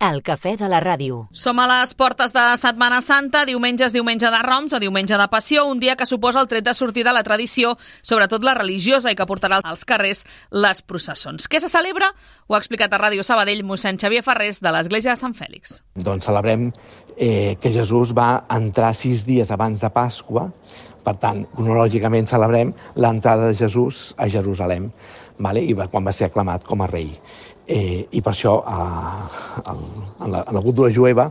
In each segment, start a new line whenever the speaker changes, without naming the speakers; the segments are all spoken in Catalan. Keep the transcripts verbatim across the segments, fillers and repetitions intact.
El cafè de la ràdio.
Som a les portes de Setmana Santa, diumenge és diumenge de Roms o diumenge de Passió, un dia que suposa el tret de sortida de la tradició, sobretot la religiosa, i que portarà als carrers les processons. Què se celebra? Ho ha explicat a Ràdio Sabadell mossèn Xavier Ferrés de l'Església de Sant Fèlix.
Doncs celebrem eh, que Jesús va entrar sis dies abans de Pasqua, per tant, cronològicament celebrem l'entrada de Jesús a Jerusalem, vale? I va, quan va ser aclamat com a rei. Eh, I per això, eh, el, en, la, en la cultura jueva,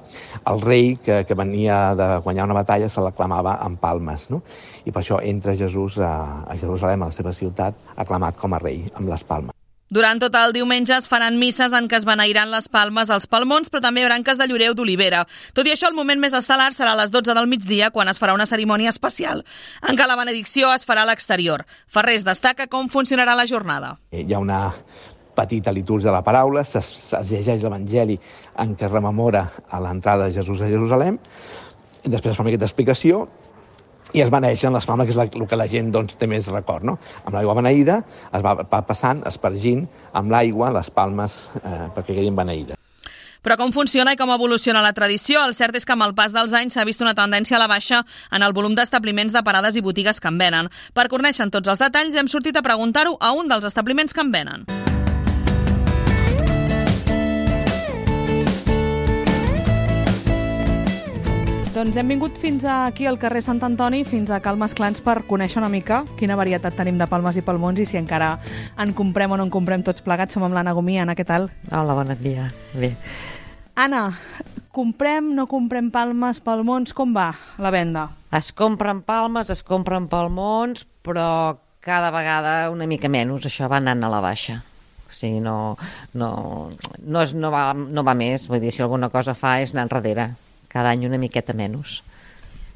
el rei que, que venia de guanyar una batalla se l'aclamava amb palmes, no? I per això entra Jesús a, a Jerusalem, a la seva ciutat, aclamat com a rei, amb les palmes.
Durant tot el diumenge es faran misses en què es beneiran les palmes als palmons, però també branques de lloreu d'olivera. Tot i això, el moment més estel·lar serà a les dotze del migdia, quan es farà una cerimònia especial, en què la benedicció es farà a l'exterior. Ferrés destaca com funcionarà la jornada.
Hi ha una petita litúrgia de la paraula, es, es llegeix l'Evangeli en què rememora a l'entrada de Jesús a Jerusalem, després es fa una miqueta d'explicació, i es beneixen les palmes, que és el que la gent doncs, té més record, no? Amb l'aigua beneïda es va, va passant, espargint amb l'aigua les palmes eh, perquè quedin beneïdes.
Però com funciona i com evoluciona la tradició? El cert és que amb el pas dels anys s'ha vist una tendència a la baixa en el volum d'establiments de parades i botigues que en venen. Per conèixer tots els detalls hem sortit a preguntar-ho a un dels establiments que en venen. Doncs hem vingut fins aquí al carrer Sant Antoni, fins a Cal Masclans, per conèixer una mica quina varietat tenim de palmes i palmons i si encara en comprem o no en comprem tots plegats. Som amb l'Anna Gomí. Anna, què tal?
Hola, bon dia. Bé.
Anna, comprem, no comprem palmes, palmons, com va la venda?
Es compren palmes, es compren palmons, però cada vegada una mica menys. Això va anant a la baixa. O sigui, no, no, no, és, no, va, no va més. Vull dir, si alguna cosa fa és anar enrere. Cada any una miqueta menys.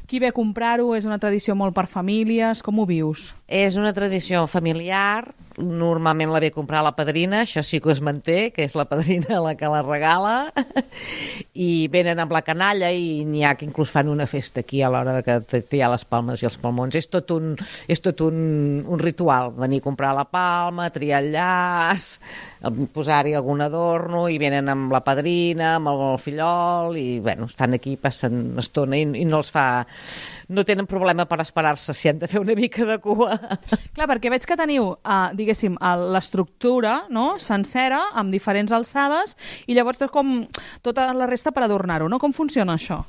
Qui ve a comprar-ho? És una tradició molt per famílies? Com ho vius?
És una tradició familiar. Normalment la ve a comprar la padrina, això sí que es manté, que és la padrina la que la regala, i venen amb la canalla i n'hi ha que inclús fan una festa aquí a l'hora de que hi ha les palmes i els palmons. És tot un, és tot un, un ritual, venir a comprar la palma, triar el llaç, posar-hi algun adorno, i venen amb la padrina, amb el fillol, i bueno, estan aquí, passen estona i, i no els fa... no tenen problema per esperar-se si han de fer una mica de cua.
Clar, perquè veig que teniu, uh, diguéssim, l'estructura, no?, sencera, amb diferents alçades, i llavors com tota la resta per adornar-ho, no? Com funciona això?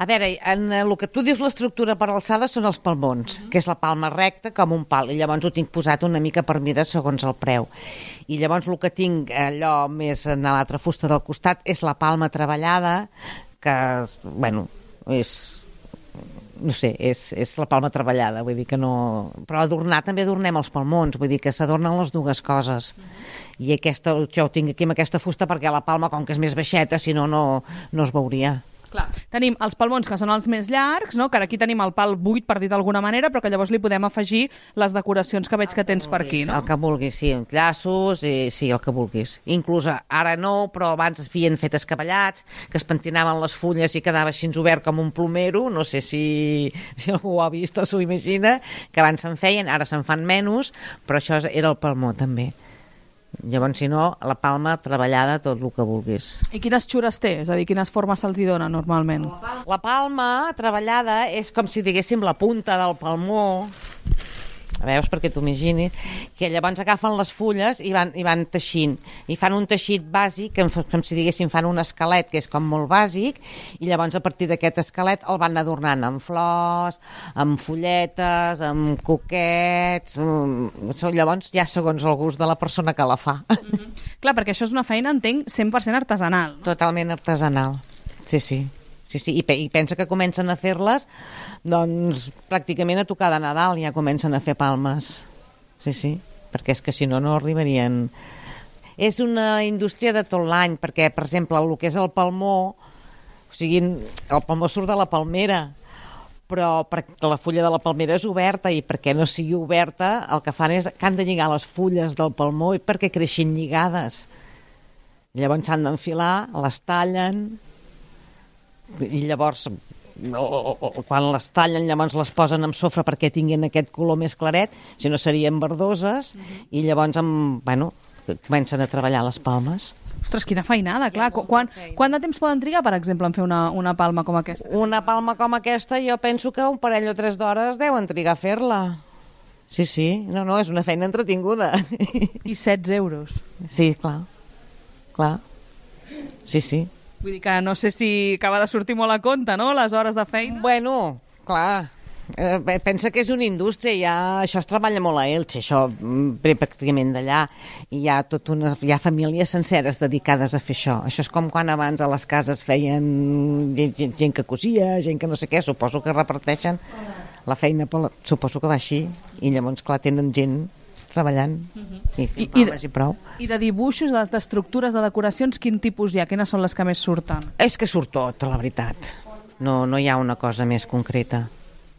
A veure, en el que tu dius l'estructura per alçada són els palmons, que és la palma recta com un pal, i llavors ho tinc posat una mica per mida segons el preu. I llavors el que tinc allò més en l'altra fusta del costat és la palma treballada, que, bueno, és... no sé, és, és la palma treballada, vull dir que no... Però adornar també adornem els palmons, vull dir que s'adornen les dues coses. I aquesta, això ho tinc aquí amb aquesta fusta perquè la palma, com que és més baixeta, si no, no, no es veuria.
Clar. Tenim els palmons, que són els més llargs, no? Que ara aquí tenim el pal buit, per dir d'alguna manera, però que llavors li podem afegir les decoracions que veig que tens per aquí, no?
El que vulguis, sí, llaços, i, sí, el que vulguis. Inclús ara no, però abans es havien fet escabellats, que es pentinaven les fulles i quedava així obert com un plomero, no sé si, si algú ho ha vist o s'ho imagina, que abans se'n feien, ara se'n fan menys, però això era el palmó també. Llavors, si no, la palma treballada, tot el que vulguis.
I quines xures té? És a dir, quines formes se'ls hi dona normalment?
La palma treballada és com si diguéssim la punta del palmó, veus, perquè t'ho imaginis, que llavors agafen les fulles i van, i van teixint, i fan un teixit bàsic, com, com si diguéssim fan un esquelet, que és com molt bàsic, i llavors a partir d'aquest esquelet el van adornant amb flors, amb fulletes, amb coquets, amb... llavors ja segons el gust de la persona que la fa.
Mm-hmm. Clar, perquè això és una feina, entenc, cent per cent artesanal.
Totalment artesanal, sí, sí. Sí, sí, i, pe i pensa que comencen a fer-les, doncs pràcticament a tocar de Nadal ja comencen a fer palmes. Sí, sí, perquè és que si no, no arribarien. És una indústria de tot l'any, perquè, per exemple, el que és el palmó, o sigui, el palmó surt de la palmera, però perquè la fulla de la palmera és oberta, i perquè no sigui oberta, el que fan és que han de lligar les fulles del palmó i perquè creixin lligades. Llavors s'han d'enfilar, les tallen, i llavors quan les tallen llavors les posen amb sofre perquè tinguin aquest color més claret, si no serien verdoses, i llavors amb, bueno, comencen a treballar les palmes.
Ostres, quina feinada, clar. Quan, quant de temps poden trigar, per exemple, en fer una, una palma com aquesta?
Una palma com aquesta jo penso que un parell o tres d'hores deuen trigar a fer-la. Sí, sí, no, no, és una feina entretinguda.
I setze euros.
Sí, clar, clar. Sí, sí.
Vull dir que no sé si acaba de sortir molt a compte, no?, les hores de feina.
Bueno, clar, eh, pensa que és una indústria, ja, això es treballa molt a Elx, això ve pràcticament d'allà, i hi ha, tot una, hi ha famílies senceres dedicades a fer això. Això és com quan abans a les cases feien gent, gent, gent que cosia, gent que no sé què, suposo que reparteixen la feina, suposo que va així, i llavors, clar, tenen gent treballant i fent
I,
palmes i, i prou.
I de dibuixos, d'estructures, de decoracions, quin tipus hi ha? Quines són les que més surten?
És que surt tot, la veritat. No, no hi ha una cosa més concreta.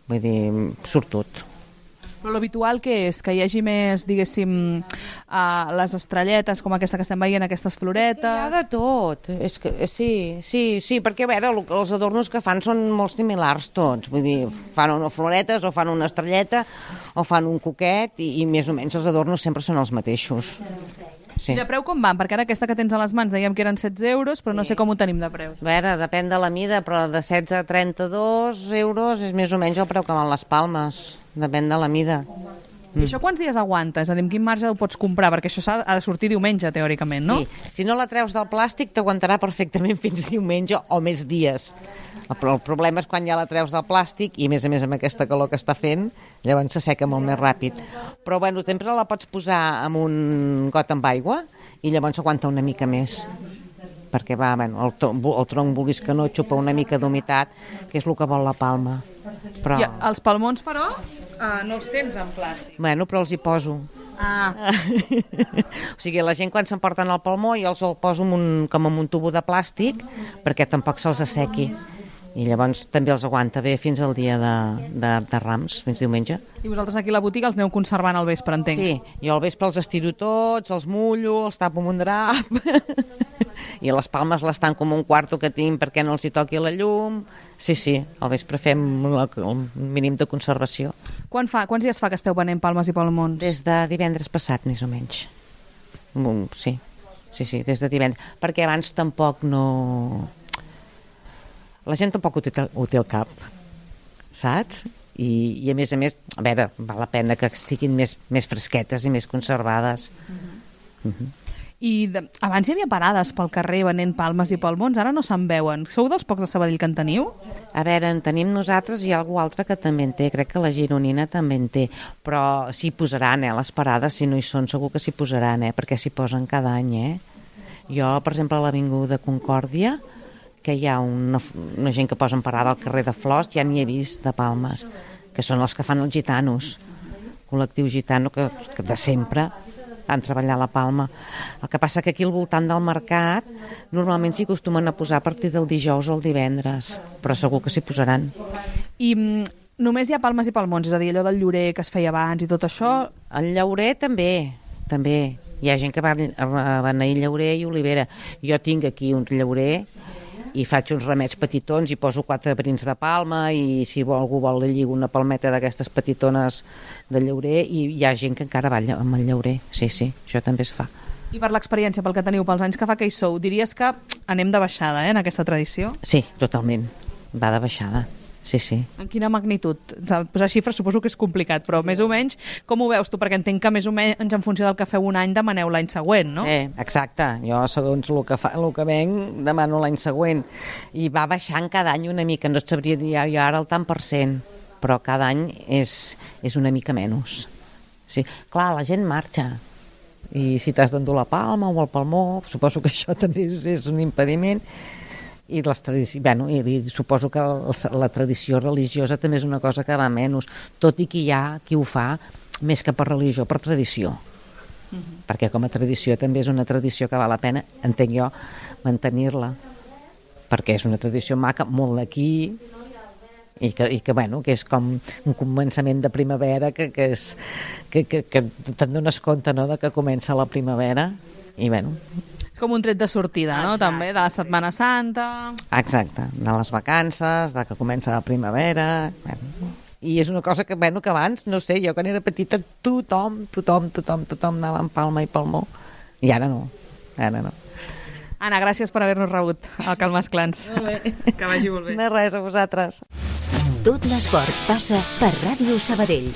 Vull dir, surt tot.
Però l'habitual què és? Que hi hagi més, diguéssim, uh, les estrelletes, com aquesta que estem veient, aquestes floretes...
Hi ha de tot. És que, sí, sí, sí, perquè a veure, els adornos que fan són molt similars tots. Vull dir, fan unes floretes o fan una estrelleta o fan un coquet i, i més o menys els adornos sempre són els mateixos. Sí.
I de preu com van? Perquè ara aquesta que tens a les mans dèiem que eren setze euros, però no sé com ho tenim de preus.
A veure, depèn de la mida, però de setze a trenta-dos euros és més o menys el preu que van les palmes. Depèn de la mida.
I això quants dies aguanta? És a dir, amb quin marge ho pots comprar? Perquè això ha de sortir diumenge, teòricament, no?
Sí, si no la treus del plàstic t'aguantarà perfectament fins diumenge o més dies. Però el problema és quan ja la treus del plàstic i a més a més amb aquesta calor que està fent, llavors s'asseca molt més ràpid. Però bueno, sempre la pots posar en un got amb aigua i llavors aguanta una mica més. Perquè va, bueno, el, el tronc vulguis que no xupa una mica d'humitat, que és el que vol la palma. Però...
I els palmons, però, uh, no els tens en plàstic.
Bueno, però els hi poso.
Ah.
O sigui, la gent quan s'emporten el palmó jo els el poso en un, com en un tubo de plàstic perquè tampoc se'ls assequi. I llavors també els aguanta bé fins al dia de, de, de Rams, fins diumenge.
I vosaltres aquí a la botiga els aneu conservant al vespre, entenc?
Sí, jo al vespre els estiro tots, els mullo, els tapo amb un drap i les palmes les tanco com un quarto que tinc perquè no els hi toqui la llum. Sí, sí, al vespre fem la, el mínim de conservació.
Quan fa, quants dies fa que esteu venent palmes i palmons?
Des de divendres passat, més o menys. Sí, sí, sí, des de divendres. Perquè abans tampoc no... La gent tampoc ho té, ho té al cap, saps? I, i a més a més, a veure, val la pena que estiguin més, més fresquetes i més conservades. Uh-huh. Uh-huh.
I de, abans hi havia parades pel carrer venent palmes i palmons, ara no se'n veuen. Sou dels pocs de Sabadell que en teniu?
A veure, en tenim nosaltres i hi ha algú altre que també en té, crec que la gironina també en té, però s'hi posaran, eh, les parades, si no hi són segur que s'hi posaran, eh, perquè s'hi posen cada any, eh. Jo, per exemple, a l'Avinguda Concòrdia, que hi ha una, una gent que posa en parada al carrer de Flors, ja n'hi he vist de palmes, que són els que fan els gitanos, col·lectiu gitano que, que de sempre han treballat la palma. El que passa que aquí al voltant del mercat normalment s'hi acostumen a posar a partir del dijous o el divendres, però segur que s'hi posaran.
I mm, només hi ha palmes i palmons, és a dir, allò del llorer que es feia abans i tot això?
El llaurer també, també. Hi ha gent que va a beneir llaurer i olivera. Jo tinc aquí un llaurer i faig uns remets petitons i poso quatre brins de palma i si algú vol li lligo una palmeta d'aquestes petitones de llaurer i hi ha gent que encara va amb el llaurer. Sí, sí, això també es fa.
I per l'experiència, pel que teniu, pels anys que fa que hi sou, diries que anem de baixada, eh, en aquesta tradició?
Sí, totalment. Va de baixada. Sí, sí.
En quina magnitud? Posar xifres suposo que és complicat, però més o menys com ho veus tu? Perquè entenc que més o menys en funció del que feu un any demaneu l'any següent, no?
Eh, exacte. Jo, segons el que, fa, el que venc, demano l'any següent. I va baixant cada any una mica. No et sabria dir jo ara el tant per cent, però cada any és, és una mica menys. Sí. Clar, la gent marxa. I si t'has d'endur la palma o el palmó, suposo que això també és, és un impediment. I, les tradici... bueno, i, i suposo que el, la tradició religiosa també és una cosa que va menys, tot i que hi ha qui ho fa més que per religió, per tradició. Uh-huh. Perquè com a tradició també és una tradició que val la pena, entenc jo, mantenir-la. Perquè és una tradició maca, molt d'aquí, i que, i que, bueno, que és com un començament de primavera que, que, és, que, que, que te'n dones compte, no?, de que comença la primavera, i bueno...
Com un tret de sortida, no? Exacte. També, de la Setmana Santa...
Exacte, de les vacances, de que comença la primavera... Bueno. I és una cosa que, bueno, que abans, no sé, jo quan era petita, tothom, tothom, tothom, tothom anava amb palma i palmó. I ara no, ara no.
Anna, gràcies per haver-nos rebut al Calmes Clans. Que vagi molt bé.
De res, a vosaltres.
Tot l'esport passa per Ràdio Sabadell.